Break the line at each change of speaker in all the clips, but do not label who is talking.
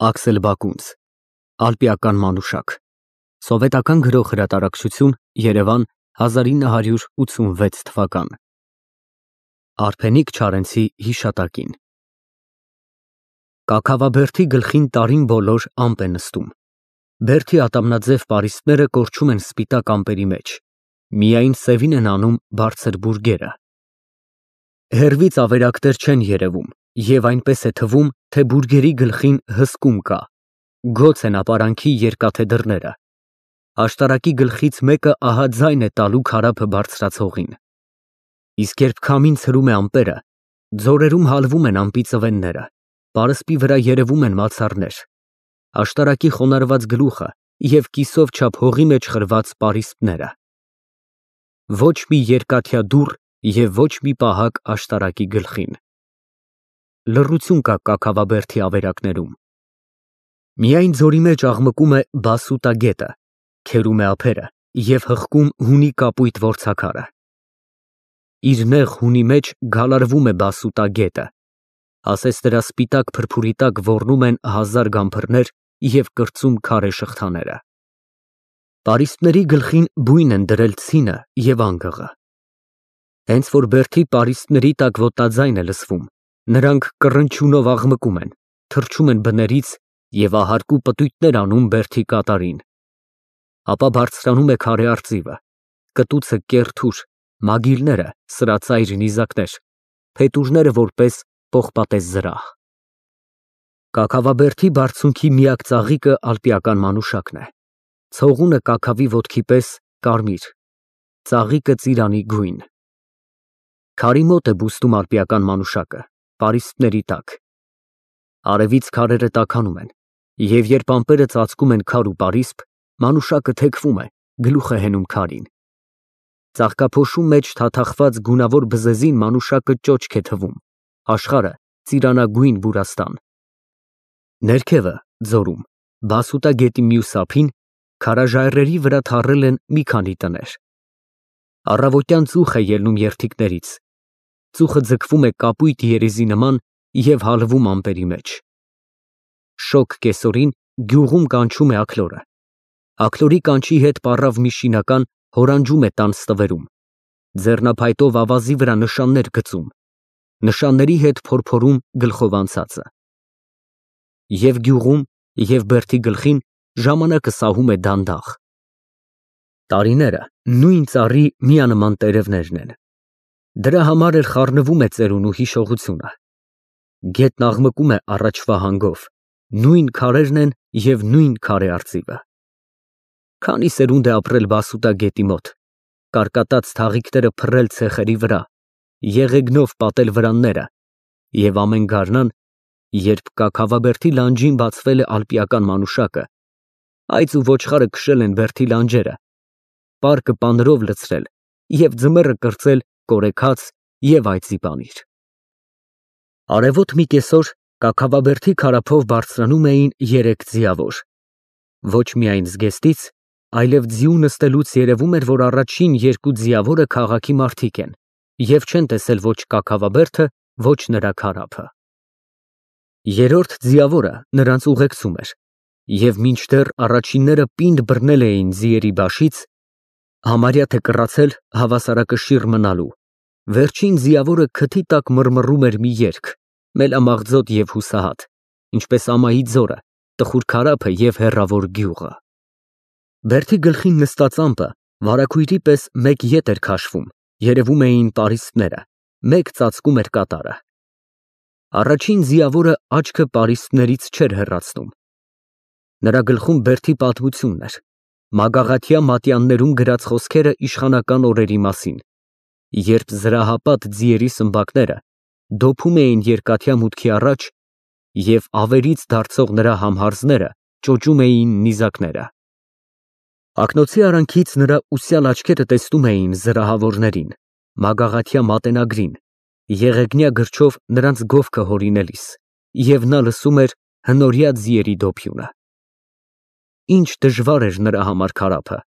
Աքսել Բակունց, Ալպիական մանուշակ, Սովետական գրող հրատարակչություն, Երևան, 1986 թվական։ Արփենիկ Չարենցի հիշատակին։ Կաքավաբերդի գլխին տարին բոլոր ամպ է նստում։ Բերդի ատամնաձև պարիսպները կորչում են սպիտակ ամպերի մեջ, միայն սևին են անում բարձր բուրգերը։ Հեռվից ավերակներ չեն երևում, և այնպես է թվում, թե բուրգերի գլխին հսկում կա, գոց են ապարանքի երկաթե դռները։ Աշտարակի գլխից մեկը ահա ձայն է տալու քարափը բարձրացողին։ Իսկ երբ քամին ցրում է ամպերը, ձորերում հալվում են ամպի ծվենները, պարսպի վրա երևում են մացառներ, աշտարակի խոնարհված գլուխը և կիսով չափ հողի մեջ խրված պարիսպները։ Ոչ մի երկաթյա դուռ և ոչ մի պահակ աշտարակի գլխին։ Լռություն կա Կաքավաբերդի ավերակներում։ Միայն ձորի մեջ աղմկում է բասուտա գետը, քերում է ափերը և հղկում հունի կապույտ որցաքարը։ Իր նեղ հունի մեջ գալարվում է բասուտա գետը, ասես դրա սպիտակ փրփուրի տակ ոռնում են հազար գամբրներ և կրծում քարե շղթաները։ Պարիսպների գլխին բույն են դրել ցինը և անգղը։ Հենց որ բերդի պարիսպների տակ ոտնաձայն է լսվում, նրանք կռնչյունով աղմկում են, թռչում են բներից և ահարկու պտույտներ անում բերդի կատարին։ Ապա բարձրանում է քարե արծիվը, կտուցը կեռ թուր, մագիլները սրածայր նիզակներ, փետուրները որպես պողպատե զրահ։ Կաքավաբերդի բարձունքի միակ ծաղիկը ալպիական մանուշակն է, ցողունը կաքավի ոտքի պես կարմիր, ծաղիկը ծիրանի գույն։ Քարի մոտ է բուստում ալպիական մանուշակը, պարիսպների տակ։ Արևից քարերը տաքանում են, և երբ ամպերը ծածկում են քար ու պարիսպ, մանուշակը թեքվում է, գլուխը հենում քարին։ Ծաղկափոշու մեջ թաթախված գունավոր բզեզին մանուշակը ճոճք է թվում, աշխարհը ծիրանագույն բուրաստան։ Ներքևը, ձորում, բասուտա գետի մյուս ափին, քարաժայռերի վրա թառել են մի քանի տներ։ Առավոտյան ծուխ է ելնում երդիկներից, ծուխը ձգվում է կապույտ երիզի նման և հալվում ամպերի մեջ։ Շոգ կեսօրին գյուղում կանչում է աքլորը։ Աքլորի կանչի հետ պառավ մի շինական հորանջում է տան ստվերում, ձեռնափայտով ավազի վրա նշաններ գծում, նշանների հետ փորփորում գլխով անցածը։ Եվ գյուղում, և բերդի գլխին ժամանակը սահում է դանդաղ։ Տարիները նույն ծառի միանման տերևներն են։ Դրա համար էլ խառնվում է ծերունու հիշողությունը։ Գետն աղմկում է առաջվա հանգով, նույն քարերն են և նույն քարե արծիվը։ Քանի սերունդ է ապրել բասուտա գետի մոտ, կարկատած թաղիքները փռել ցեխերի վրա, եղեգնով պատել վրանները, և ամեն գարնան, երբ Կաքավաբերդի լանջին բացվել է ալպիական մանուշակը, այծ ու ոչխարը քշել են բերդի լանջերը, պարկը պանրով լցրել և ձմեռը կրծել կորեքաց և այծի պանիր։ Արևոտ մի կեսօր Կաքավաբերդի քարափով բարձրանում էին երեք ձիավոր։ Ոչ միայն զգեստից, այլև ձիու նստելուց երևում էր, որ առաջին երկու ձիավորը քաղաքի մարդիկ են և չեն տեսել ոչ Կաքավաբերդը, ոչ նրա քարափը։ Երրորդ ձիավորը նրանց ուղեկցում էր, և մինչդեռ առաջինները պինդ բռնել էին ձիերի բաշից, համարյա թե կռացել հավասարակշիռ մնալու, վերջին ձիավորը քթի տակ մռմռում էր մի երգ, մելամաղձոտ և հուսահատ, ինչպես ամայի ձորը, տխուր քարափը և հեռավոր գյուղը։ Բերդի գլխին նստած ամպը վարագույրի պես մեկ ետ էր քաշվում, երևում էին պարիսպները, մեկ ծածկում էր կատարը։ Առաջին ձիավորը աչքը պարիսպներից չէր հեռացնում։ Նրա գլխում բերդի պատմությունն էր, մագաղաթյա մատյաններում գրած խոսքերը իշխանական օրերի մասին, երբ զրահապատ ձիերի սմբակները դոփում էին երկաթյա մուտքի առաջ և ավերից դարձող նրա համհարձները ճոճում էին նիզակները։ Ակնոցի արանքից նրա ուսյալ աչքերը տեսնում էին զրահավորներին, մագաղաթյա մատենագրին, եղեգնյա գրչով նրանց գովքը հորինելիս, և նա լսում էր հնորյա ձիերի դոփյունը։ Ինչ դժվար էր նրա համար քարափը,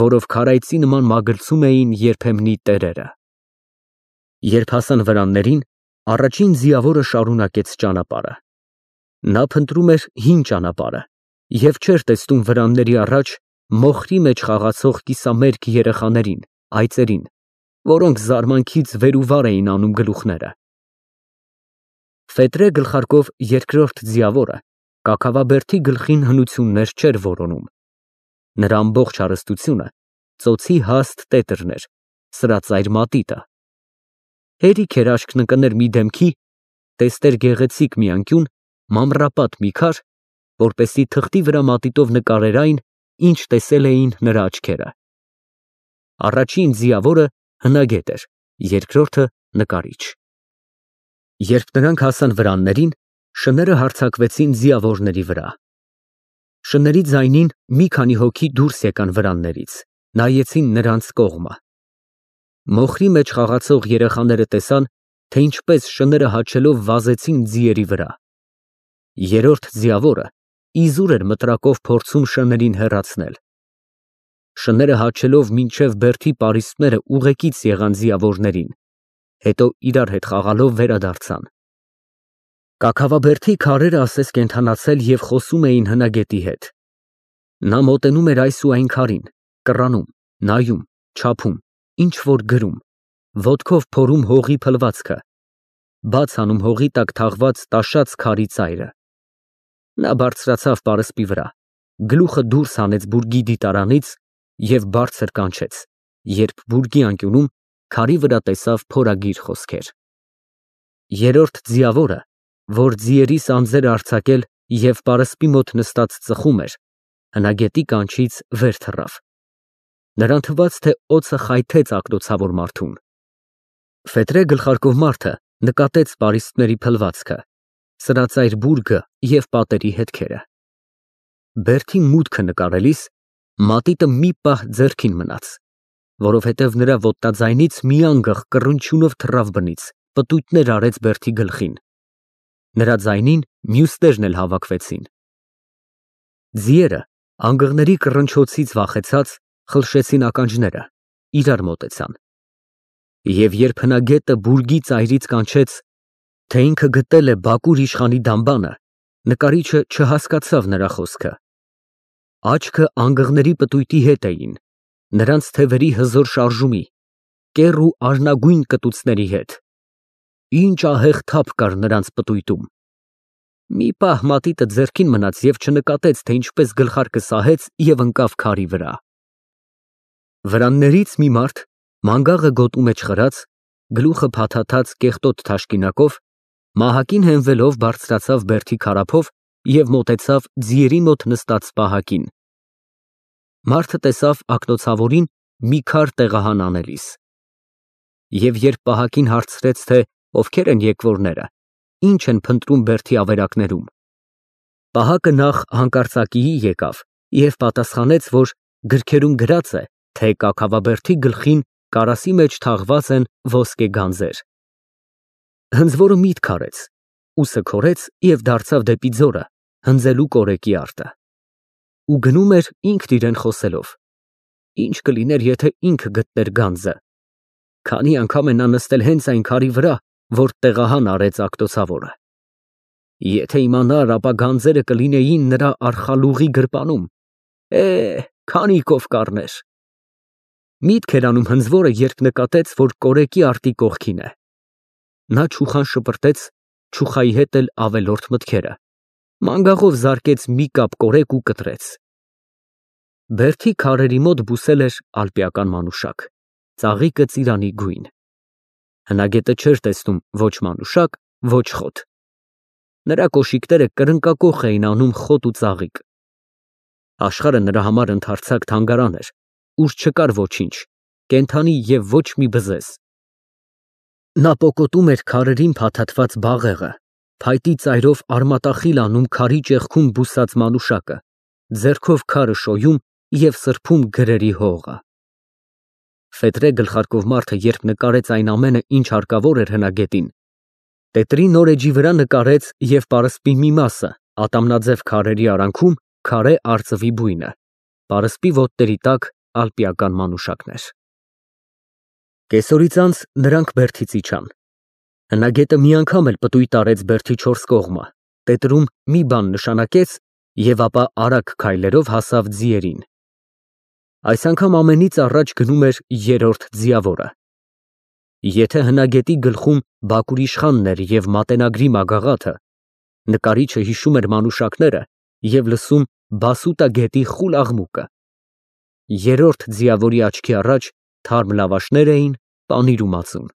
որով քարայծի նման մագլցում էին երբեմնի տերերը։ Երբ հասան վրաններին, առաջին ձիավորը շարունակեց ճանապարհը։ Նա փնտրում էր հին ճանապարհը և չէր տեսնում վրանների առաջ մոխրի մեջ խաղացող կիսամերկ երեխաներին, այծերին, որոնք զարմանքից վեր ու վար էին անում գլուխները։ Ֆեդրե գլխարկով երկրորդ ձիավորը կաքավաբերդի գլխին հնություններ չէր որոնում։ Նրա ամբողջ հարստությունը ծոցի հաստ տետրն էր, սրածայր մատիտը։ Հերիք էր աչքն ընկներ մի դեմքի, տեսներ գեղեցիկ մի անկյուն, մանրապատ մի քար, որպեսզի թղթի վրա մատիտով նկարեր այն, ինչ տեսել էին նրա աչքերը։ Առաջին ձիավորը հնագետ էր, երկրորդը նկարիչ։ Երբ նրանք հասան վրաններին, շները հարձակվեցին ձիավորների վրա։ Շների ձայնին մի քանի հոգի դուրս եկան վրաններից, նայեցին նրանց կողմը։ Մոխրի մեջ խաղացող երեխաները տեսան, թե ինչպես շները հաչելով վազեցին ձիերի վրա։ Երրորդ ձիավորը իզուր էր մտրակով փորձում շներին հեռացնել։ Շները հաչելով մինչև բերդի պարիսպները ուղեկից եղան ձիավորներին, հետո իրար հետ խաղալով վերադարձան։ Կաքավաբերդի քարերը ասես կենդանացել և խոսում էին հնագետի հետ։ Նա մոտենում էր այս ու այն քարին, կռանում, նայում, չափում, ինչ-որ գրում, ոտքով փորում հողի փլվածքը, բաց անում հողի տակ թաղված տաշած քարի ծայրը։ Նա բարձրացավ պարսպի վրա, գլուխը դուրս հանեց բուրգի դիտարանից և բարձր կանչեց, երբ բուրգի անկյունում քարի վրա տեսավ փորագիր խոսքեր։ Երրորդ ձիավորը, որ ձիերի սանձերը արձակել և պարսպի մոտ նստած ծխում էր, հնագետի կանչից վեր թռավ։ Նրան թվաց, թե օձը խայթեց ակնոցավոր մարդուն։ Ֆեդրե գլխարկով մարդը նկատեց պարիսպների փլվածքը, սրածայր բուրգը և պատերի հետքերը։ Բերդի մուտքը նկարելիս մատիտը մի պահ ձեռքին մնաց, որովհետև նրա ոտնաձայնից մի անգախ կռնչյունով թռավ բնից, պտույտներ արեց բերդի գլխին։ Նրա ձայնին մյուսներն էլ հավաքվեցին։ Ձիերը անգղների կռնչոցից վախեցած խլշեցին ականջները, իրար մոտեցան։ Եվ երբ հնագետը բուրգի ծայրից կանչեց, թե ինքը գտել է Բակուր իշխանի դամբանը, նկարիչը չհասկացավ նրա խոսքը։ Աչքը անգղների պտույտի հետ էին, նրանց թևերի հզոր շարժումի, կեռ ու արնագույն կտուցների հետ։ Ինչ ահեղ թափ կար նրանց պտույտում։ Մի պահ մատիտը ձեռքին մնաց և չնկատեց, թե ինչպես գլխարկը սահեց և ընկավ քարի վրա։ Վրաններից մի մարդ, մանգաղը գոտու մեջ խրած, գլուխը փաթաթած կեղտոտ թաշկինակով, մահակին հենվելով բարձրացավ բերդի քարափով և մոտեցավ ձիերի մոտ նստած պահակին։ Մարդը տեսավ ակնոցավորին մի քար տեղահան անելիս։ Եվ երբ պահակին հարցրեց, թե ովքեր են եկվորները, ինչ են փնտրում բերդի ավերակներում, պահակը նախ հանկարծակիի եկավ և պատասխանեց, որ գրքերում գրած է, թե կաքավաբերդի գլխին կարասի մեջ թաղված են ոսկե գանձեր։ Հնձվորը միտք արեց, ուսը քորեց և դարձավ դեպի ձորը, հնձելու կորեկի արտը։ Ու գնում էր ինքն իրեն խոսելով. ինչ կլիներ, եթե ինքը գտներ գանձը։ Քանի անգամ է նա նստել հենց այն քարի վրա, որ տեղահան արեց ակտոցավորը։ Եթե իմանար, ապա գանձերը կլինեին նրա արխալուղի գրպանում, քանիկով կառներ։ Միտք էր անում հնձվորը, երբ նկատեց, որ կորեկի արտի կողքին է։ Նա չուխան շպրտեց, չուխայի հետ էլ ավելորդ մտքերը, մանգաղով զարկեց մի կապ կորեկ ու կտրեց։ Բերդի քարերի մոտ բուսել էր ալպիական մանուշակ, ծաղիկը ծիրանի գույն։ Հնագետը չէր տեսնում ոչ մանուշակ, ոչ խոտ։ Նրա կոշիկները կրնկակոխ էին անում խոտ ու ծաղիկ։ Աշխարհը նրա համար ընդարձակ թանգարան էր, ուր չկար ոչինչ, կենդանի և ոչ մի բզեզ։ Նա պոկոտում էր քարերին փաթաթված բաղեղը, փայտի ծայրով արմատախիլ անում քարի ճեղքում բուսած մանուշակը, ձեռքով քարը շոյում և սրբում գրերի հողը։ Ֆեդրե գլխարկով մարդը, երբ նկարեց այն ամենը, ինչ հարկավոր էր հնագետին, տետրի նոր էջի վրա նկարեց և պարսպի մի մասը, ատամնաձև քարերի արանքում քարե արծվի բույնը, պարսպի ոտների տակ ալպիական մանուշակներ։ Կեսօրից անց նրանք բերդից իջան։ Հնագետը մի անգամ էլ պտույտ արեց բերդի չորս կողմը, տետրում մի բան նշանակեց և ապա արագ քայլերով հասավ ձիերին։ Այս անգամ ամենից առաջ գնում էր երրորդ ձիավորը։ Եթե հնագետի գլխում բակուր իշխանն էր և մատենագրի մագաղաթը, նկարիչը հիշում էր մանուշակները և լսում բասուտա գետի խուլ աղմուկը։ Երրորդ ձիավորի աչքի առաջ թարմ լավաշներ էին, պանիր ու մածուն։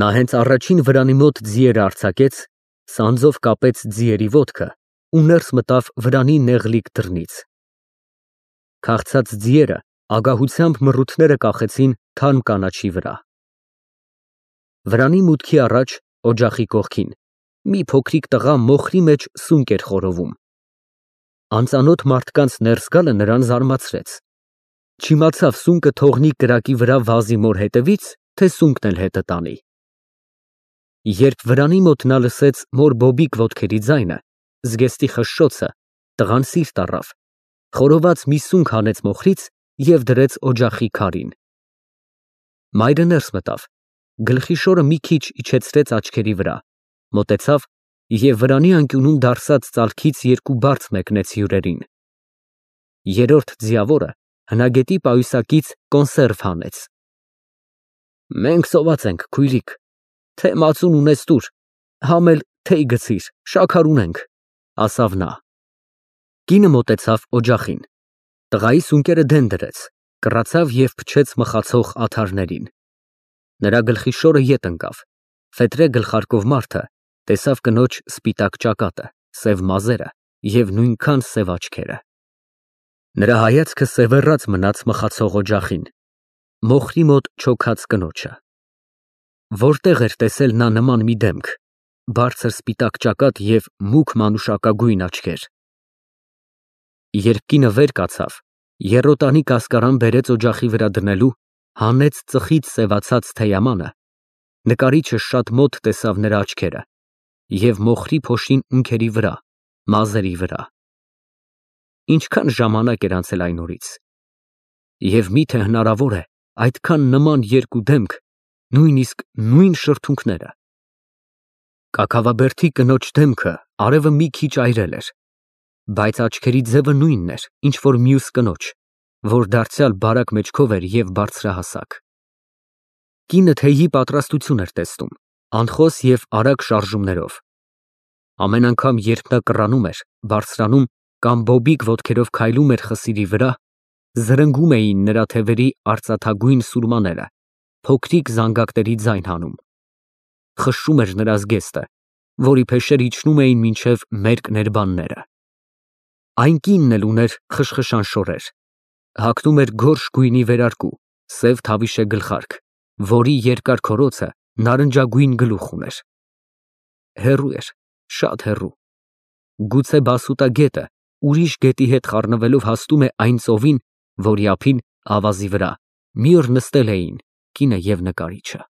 Նա հենց առաջին վրանի մոտ ձիերը արձակեց, սանձով կապեց ձիերի ոտքը ու ներս մտավ վրանի նեղլիկ դռնից։ Քաղցած ձիերը ագահությամբ մռութները կախեցին թարմ կանաչի վրա։ Վրանի մուտքի առաջ, օջախի կողքին, մի փոքրիկ տղա մոխրի մեջ սունկ էր խորովում։ Անծանոթ մարդկանց ներս գալը նրան զարմացրեց։ Չիմացավ սունկը թողնի կրակի վրա վազի մոր հետևից, թե սունկն էլ հետը տանի։ Երբ վրանի մոտ նա լսեց մոր բոբիկ ոտքերի ձայնը, զգեստի խշշոցը, տղան սիրտ առավ, խորոված մի սունկ հանեց մոխրից և դրեց օջախի քարին։ Մայրը ներս մտավ, գլխի շորը մի քիչ իջեցրեց աչքերի վրա, մոտեցավ և վրանի անկյունում դարսած ծալքից երկու բարձ մեկնեց հյուրերին։ Երրորդ ձիավորը հնագետի պայուսակից կոնսերվ հանեց։ «Մենք սոված ենք, քույրիկ, թե մածուն ունես տուր, համ էլ թեյ գցիր, շաքար ունենք», ֊ ասավ նա։ Կինը մոտեցավ օջախին, տղայի սունկերը դեն դրեց, կռացավ և փչեց մխացող աթարներին։ Նրա գլխի շորը ետ ընկավ, ֆետրե գլխարկով մարդը տեսավ կնոջ սպիտակ ճակատը, սև մազերը և նույնքան սև աչքերը։ Նրա հայացքը սևեռած մնաց մխացող օջախին, մոխրի մոտ չոքած կնոջը։ Որտեղ էր տեսել նա նման մի դեմք, բարձր սպիտակ ճակատ և մուգ մանուշակագույն աչքեր։ Երբ կինը վեր կացավ, եռոտանի կասկարան բերեց օջախի վրա դնելու, հանեց ծխից սևացած թեյամանը, նկարիչը շատ մոտ տեսավ նրա աչքերը և մոխրի փոշին ունքերի վրա, մազերի վրա։ Ինչքան ժամանակ էր անցել այն օրից։ Եվ մի՞թե հնարավոր է այդքան նման երկու դեմք, նույնիսկ նույն շրթունքները։ Կաքավաբերդի կնոջ դեմքը արևը մի քիչ այրել էր, բայց աչքերի ձևը նույնն էր, ինչ որ մյուս կնոջ, որ դարձյալ բարակ մեջքով էր և բարձրահասակ։ Կինը թեյի պատրաստություն էր տեսնում, անխոս և արագ շարժումներով։ Ամեն անգամ, երբ նա կռանում էր, բարձրանում կամ բոբիկ ոտքերով քայլում էր խսիրի վրա, զրնգում էին նրա թևերի արծաթագույն սուրմաները, փոքրիկ զանգակների ձայն հանում։ Խշշում էր նրա զգեստը, որի փեշեր իջնում էին մինչև մերկ ներբանները։ Այն կինն էլ ուներ խշխշան շորեր, հագնում էր գորշ գույնի վերարկու, սև թավիշե գլխարկ, որի երկար քորոցը նարնջագույն գլուխ ուներ։ Հեռու էր, շատ հեռու։ Գուցե բասուտա գետը ուրիշ գետի հետ խառնվելով հասնում է այն ծովին, որի ափին, ավազի վրա, մի օր նստել էին կինը և նկարիչը։